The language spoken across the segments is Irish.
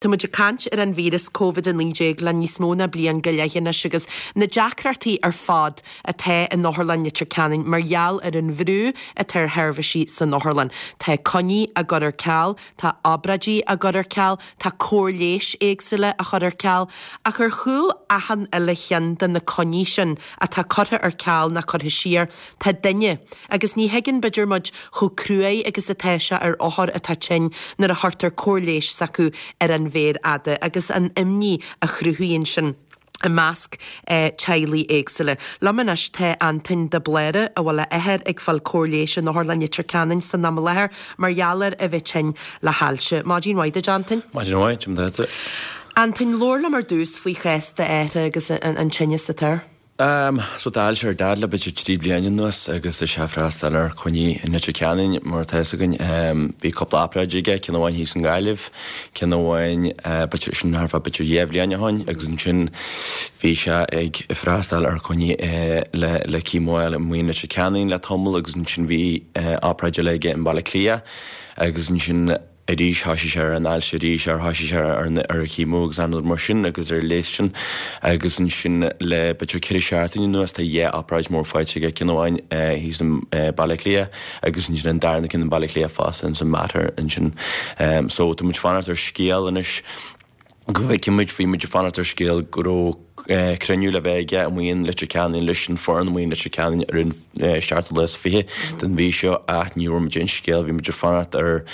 Tá muid ag caint ar an víreas Covid-19 le níos mó ná bliain go leith anois agus na deacrachtaí ar fad atá in Otharlann Leitir Ceanainn mar gheall ar an bhrú atá ar sheirbhísí san otharlann. Tá coinní á gcur ar ceal, tá obráidí á gcur ar ceal, tá cóir leighis éagsúla á chur ar ceal, ach ar chúl achan uile cheann de na coinní sin atá curtha ar ceal ná curtha siar, Tá duine, agus ní thuigeann b'fhéidir muid chomh cruaidh agus atá sé ar othar atá tinn nuair a chuirtear cóir leighis s'acu ar an mhéar fhada agus an imní a chruthaíonn sin i measc teaghlaigh éagsúla. Liom anois tá Antoin de Bláire a bhfuil a athair ag fáil cóir leighis in Otharlann Leitir Ceanainn san am i láthair mar gheall ar a bheith tinn le hailse. Maidin mhaith duit Antoin. Maidin mhaith, cad é mar atá tú. Antoin, labhair liom ar dtús faoi chás d'athar agus an tinneas atá air. So tá ailse ar Dad le b'fhéidir 3 bliana anuas agus tá sé ag freastal ar choinní i Leitir Ceanainn mar atá fhios againn. Bhí cúpla obráid aige, ceann amháin thíos i nGaillimh, ceann amháin b'fhéidir sin thart fá b'fhéidir 2 bhliain ó shoin agus ansin bhí sé ag freastal ar choinní le le chemo amuigh i Leitir Ceanainn le tamall agus ansin bhí obráid eile aige i mBaile Átha Cliath agus ansin arís, thoisigh sé ar an ailse arís, ar thoisigh sé ar an ar an chemo agus achan rud mar sin agus ar an leigheas sin agus ansin le b'fhéidir 4 seachtaine anuas tá dhá obráid mór faighte aige, ceann amháin thíos i Baile Átha Cliath agus ansin an darna ceann i Baile Átha Cliath fosta ins an Mater ansin. So tá muid fanacht ar scéal anois go bhfeicfidh muid, bhí muid ag fanacht ar scéal go raibh cruinniú le bheith aige amuigh in Leitir Ceanainn leis an foireann amuigh in Leitir Ceanainn ar an seachtú lá is 20 den mhí seo ach ní bhfuair muid aon scéal, bhí muid ag fanacht ar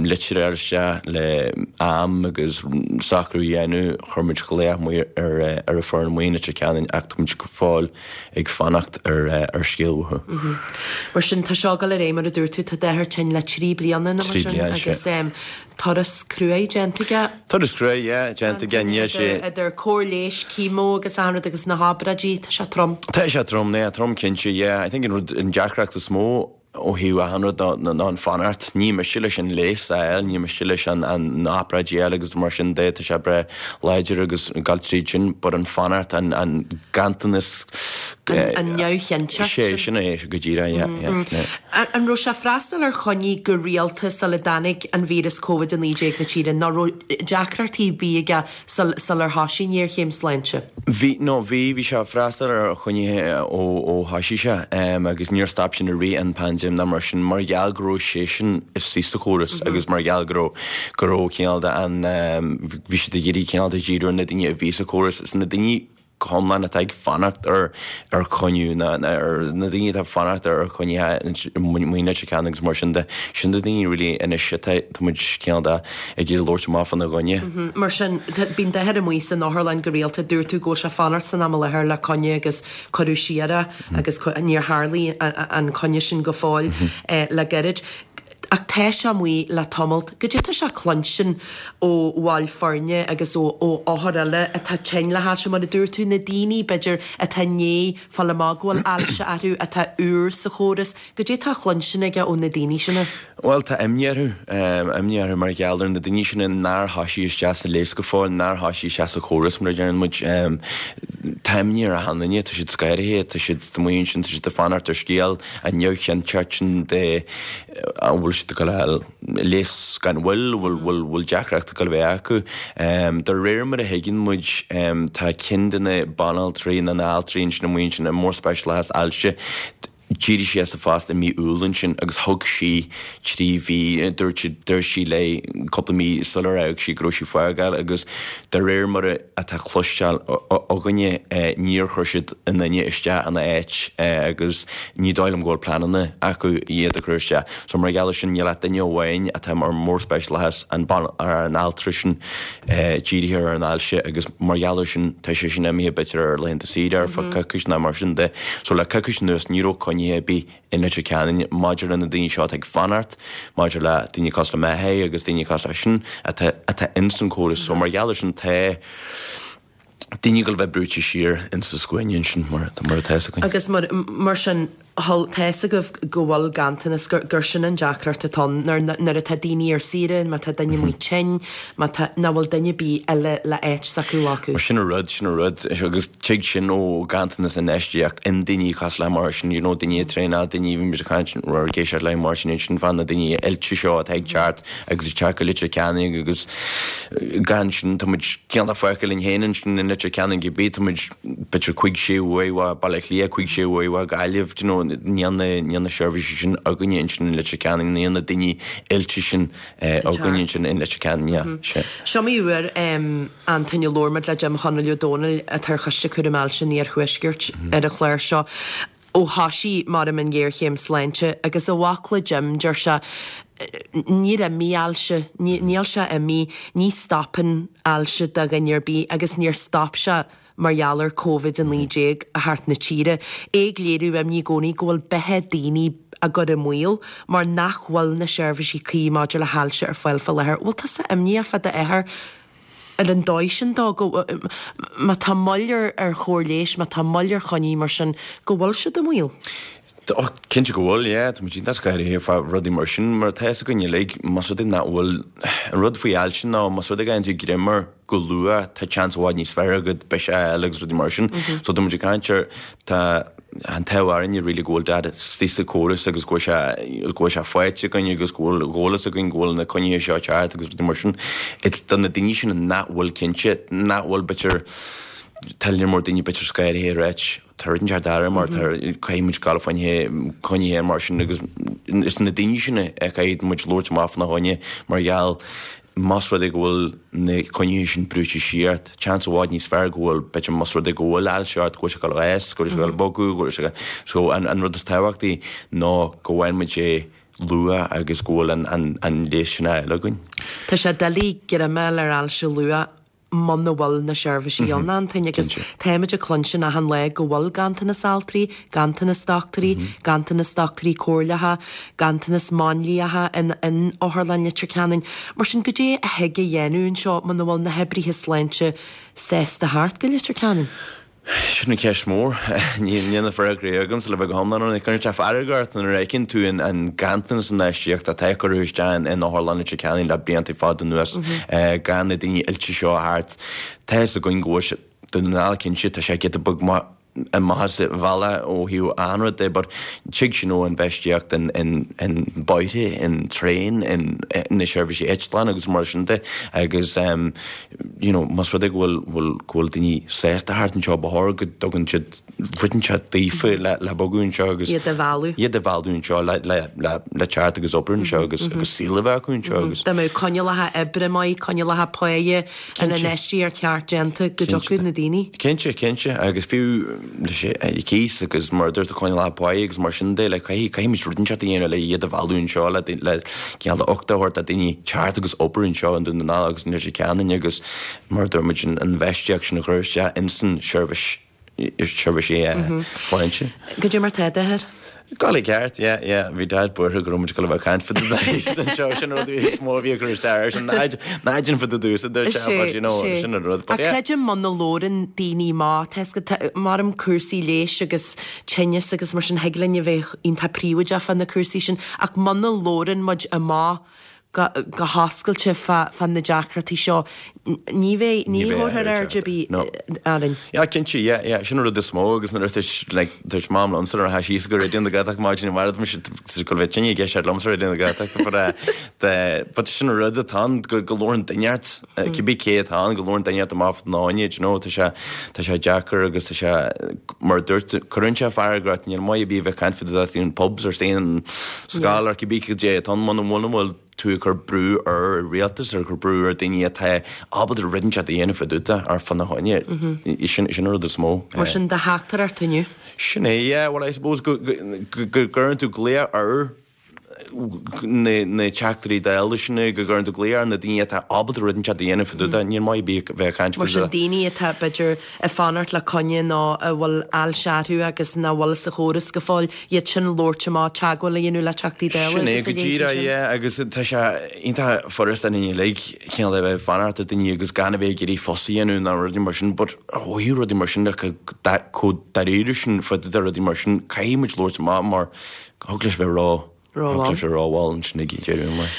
litir a fháil isteach le am agus socrú a dhéanamh, chuir muid glaoch amuigh ar ar an foireann amuigh in Leitir Ceanainn ach tá muid go fóill ag fanacht ar ar scéal uathu. Mar sin, tá seo ag dul ar aghaidh mar a dúirt tú, tá d'athair tinn le 3 bliana nó mar sin agus Turas cruaidh déanta aige. Turas cruaidh, yeah, déanta aige, níl sé. Idir cóir leighis, chemo agus achan rud agus na hobráidí, tá sé trom. Tá sé trom, yeah, trom cinnte, yeah. I think an rud, an deacracht is mó ó thaobh achan rud ná ná an fanacht. Ní miste leis an leigheas a fháil, ní miste leis an an na hobráidí a fháil agus mar sin de, tá sé breá láidir agus ag dul tríd sin, but an fanacht, an an ganntanas. An neamhchinnteacht sin. Sé, sin é, go díreach, yeah, yeah, yeah. An raibh sé ag freastal ar choinní go rialta sula dtáinig an víreas Covid-19 na tíre nó raibh deacrachtaí ar bith aige sular thoisigh an ghéarchéim sláinte? Bhí, no bhí, bhí sé ag freastal ar choinnithe ó ó thoisigh sé agus níor stop sin i rith an paindéim ná mar sin mar gheall go raibh seisean istigh sa chóras agus mar gheall go raibh go raibh cineál de an bhí siad ag iarraidh cineál de díriú ar na daoine a bhí sa chóras is na daoine go hiomlán atá ag fanacht ar ar choinniú na ar na daoine atá ag fanacht ar choinnithe amuigh i Leitir Ceanainn agus mar sin de. Sin na daoine really anois atá tá muid cineál de ag iarraidh labhairt amach fána gcoinne. Mar sin, bíonn d'athair amuigh san otharlann go rialta. Dúirt tú go bhfuil sé ag fanacht san am i láthair le coinne agus cuireadh siar é agus níor tharlaigh an coinne sin go fóill le gairid. Ach tá sé amuigh le tamalt. Goidé tá sé a chluinstin ó bhaill foirne agus ó othair eile atá tinn le hailse, mar a dúirt tú, na daoine, b'fhéidir, atá i ndiaidh fáil amach go bhfuil ailse orthu, atá úr sa chóras. Goidé tá a chluinstin aige ó na daoine sin? Bhuel, tá imní orthu. Imní orthu mar gheall ar na daoine sin nár thoisigh isteach sa leigheas go fóill, nár thoisigh isteach sa chóras, mar a deireann muid. Tá imní ar achan duine, tá siad scanraithe, tá siad amuigh ansin, tá siad ag fanacht ar scéal. An neamhchinnteacht sin de an bhfuil siad ag dul a fháil leigheas gan mhoill, an bhfuil bhfuil deacracht ag dul a bheith acu. De réir mar a thuigeann muid, tá ceann de na banaltraí nó na altraí ansin amuigh ansin, an mórspeisialachas ailse, d'éirigh sí as a phost i mí Iúil ansin agus thug sí 3 mhí, dúirt dúirt sí léi cúpla mí sular fhág sí go raibh sí ag fágáil agus de réir mar a atá cloisteáil againne, níor chuir siad aon duine isteach ina áit agus ní dóigh liom go bhfuil pleananna acu iad a chur isteach. So mar gheall ar sin níl ach duine amháin atá mar mórspeisialachas an an altra sin dírithe ar an ailse agus mar gheall ar sin tá sé sin imithe b'fhéidir ar laethanta saoire ar feadh coicís nó mar sin de. So le coicís anuas ní raibh coinnithe ar bith i Leitir Ceanainn maidir le na daoine seo atá ag fanacht, maidir le daoine cosúil le m'athair agus daoine cosúil leis sin atá atá ins an córas. So mar gheall ar sin tá daoine ag dul a bheith brúite siar ins an scuaine ansin mar mar atá fhios againn. Agus mar mar sin. Tá fhios agaibh go bhfuil ganntanas, gur sin an deacracht atá ann, nuair atá daoine ar saoire, má tá duine amuigh tinn, má tá, nach bhfuil duine ar bith eile le áit s'acu a ghlacadh. Sin an rud, sin an rud. Agus tig sin ó ghanntanas infheistíocht i ndaoine cosúil le mar sin, you know, daoine ag traenáil, daoine, bhí muid ag caint, or ag éisteacht le mar sin ansin fá na daoine oilte seo atá ag teacht agus ag teacht go Leitir Ceanainn agus gan sin tá muid cineál fágtha linn féin ansin i Leitir Ceanainn cibé, tá muid, b'fhéidir cúig sé uair ó Baile Átha Cliath, cúig sé uair ó Gaillimh, do you know, níl na, níl na seirbhísí sin againne ansin in Leitir Ceanainn, níl na daoine oilte sin againne ansin in Leitir Ceanainn, yeah, sea. Seo iomaí uair, Antaine, a labhair muid le Jim Chonaill Ó Domhnaill atá ar Choiste Cúraim Ailse an Iarthuaiscirt ar an chlár seo ó thoisigh, maram, an ghéarchéim sláinte agus i bhfocla Jim, deir sé, níor imigh ailse, níl sé imithe, ní stopann ailse do dhuine ar bith agus níor stop sé mar gheall ar Covid-19 a theacht na tíre, é ag léiriú imní i gcónaí go bhfuil beatha daoine á gcur i mbaol mar nach bhfuil na seirbhísí cuí maidir le hailse ar fáil faoi láthair. Bhfuil tusa imníoch fá d'athair ar an dóigh sin dó, go, má tá moill ar ar chóir leighis, má tá moill ar choinní mar sin, go bhfuil siad i mbaol? Ó, cinnte go bhfuil, yeah. Tá muid iontach scanraithe fá rudaí mar sin, mar tá fhios againn uilig, más rud é nach bhfuil, an rud faoi ailse ná más rud é go bhfaigheann tú greim air go luath, tá seans i bhfad níos fearr agat biseach a fháil agus rudaí mar sin. So tá muid ag caint ar, tá an t-ádh orainne really go bhfuil Dad istigh sa chóras agus go bhfuil sé, go bhfuil sé faighte againn agus go bhfuil eolas againn go bhfuil na coinnithe seo ceart agus rudaí mar sin. It's do na daoine sin nach bhfuil cinnte, nach bhfuil b'fhéidir, tá lear mór daoine b'fhéidir scanraithe ag ráit, Tá rud inteacht air mar tá caithfidh muid gabháil fá choinne coinnithe mar sin agus is na daoine sin a caithfidh muid labhairt amach fána choinne mar gheall más rud é go bhfuil na coinnithe sin brúite siar, seans i bhfad níos fearr go bhfuil b'fhéidir más rud é go bhfuil ailse ort go bhfuil sé ag dul a fhás, go bhfuil sé ag dul a bogadh, go bhfuil sé so an an rud is tábhachtaí ná go bhfaigheann muid é luath agus go bhfuil an an an leigheas sin á fháil againn. Tá sé doiligh greim a fháil ar ailse luath muna bhfuil na seirbhísí ann, Antaine, agus táimid ag cluinstin achan lá go bhfuil ganntanas altraí, ganntanas dochtúirí, ganntanas dochtúirí comhairleacha, ganntanas máinliacha in in Otharlann Leitir Ceanainn. Mar sin, goidé a thig a dhéanamh anseo muna bhfuil na hoibrithe sláinte sásta theacht go Leitir Ceanainn? Sin an cheist mhór. Níl na freagraí agamsa le bheith go hiomlán ionraic. Cuireann sé fearg ort nuair a fheiceann tú an ganntanas infheistíochta atá curtha isteach in Otharlann Leitir Ceanainn le blianta fada anuas, gan na daoine oilte seo a thabhairt. Tá fhios againn go bhfuil sé, Dún na nGall cinnte, tá sé giota beag amach as an bhealach ó thaobh achan rud de but tig sin ó infheistíocht in bóithre, in traein, in na seirbhísí eitleán agus mar sin de agus you know, más rud é go bhfuil, bhfuil, go bhfuil daoine sásta theacht anseo, ba chóir go dtugann siad rud inteacht daofa le, le bogadh anseo agus. Iad a mhealladh. Iad a mhealladh anseo le, le, le, le teacht agus obair anseo agus, agus saol a bheith acu anseo agus. Dá mbeadh coinníollacha oibre maith, coinníollacha páighe, an infheistíocht cheart déanta go dtiocfadh na daoine. Cinnte, cinnte, agus fiú leis an cíos agus mar a dúirt tú coinníollacha páighe agus mar sin de, like, caithfidh, caithfidh muid rud inteacht a dhéanamh le iad a mhealladh anseo, le, le cineál de uchtach a thabhairt do daoine teacht agus obair anseo i nDún na nGall agus in Leitir Ceanainn agus mar a dúirt muid an infheistíocht sin a chur isteach insan seirbhís, seirbhísí sláinte. Goidé mar tá d'athair? Go i gceart, yeah, yeah. Bhí Dad buartha go raibh muid ag dul a bheith ag caint fá dtaobh anseo, sin an rud is mó a bhí ag cur isteach air, sin ná ná déan fá dtaobh domhsa, dúirt sé, but you know, sin an rud. But yeah. Creidim muna labhrann daoine amach, tá 'fhios agat, maram cúrsaí leighis agus tinneas agus mar sin, thig linn a bheith iontach príobháideach fá na cúrsaí sin, ach muna labhrann muid amach go go hoscailte fá fá na deacrachtaí seo, ní bheidh, ní thabharfar aird ar bith orainn. Yeah, cinnte, yeah, yeah, sin an rud is mó agus nuair a dúirt, like, dúirt Mam liomsa nuair a tháinig sí go Raidió na Gaeltachta maidin amárach, tá mise ag dul a bheith tinn ag éisteacht liomsa Raidió na Gaeltachta but eh, the, but sin an rud atá ann, go, go labhrann duine ort, cibé cé atá ann, go labhrann duine ort amach fá choinne, do you know, tá sé, tá sé deacair agus tá sé, mar a dúirt, cuireann sé fearg ort, níl maith ar bith a bheith ag caint fá dtaobh in pubs or in scoil or cibé cad é atá ann, muna bhfuil, bhfuil tú ag cur brú ar an rialtas, ar cur brú ar daoine atá ábalta rud inteacht a dhéanamh fá dtaobh de or fána choinne, sin, sin an rud is mó. Mar sin do theachtaireacht inniu? Sin é, yeah, well I suppose go, go, go gcuireann tú glaoch ar. Na teachtairí Dála sin go gcuireann tú glaoch ar na daoine atá ábalta rud inteacht a dhéanamh fá dtaobh de, níor mhaith ar bith bheith ag caint Mar sin, daoine atá, b'fhéidir, ag fanacht le coinne nó a bhfuil ailse orthu agus nach bhfuil sa chóras go fóill, iad sin labhairt amach, teagmháil a dhéanamh le Teachtaí Dála Sin é agus a go leithéidí díreach, sin. yeah, agus tá sé iontach furasta in uilig cineál a bheith ag fanacht ar daoine agus gan a bheith ag iarraidh fuss a dhéanamh ná rudaí mar sin, but ó thaobh rudaí mar sin de, chomh dáiríre sin fá dtaobh de rudaí mar sin, caithfidh muid labhairt amach mar thig leis bheith ró, thig leis bheith rómhall ansin ag deireadh an lae.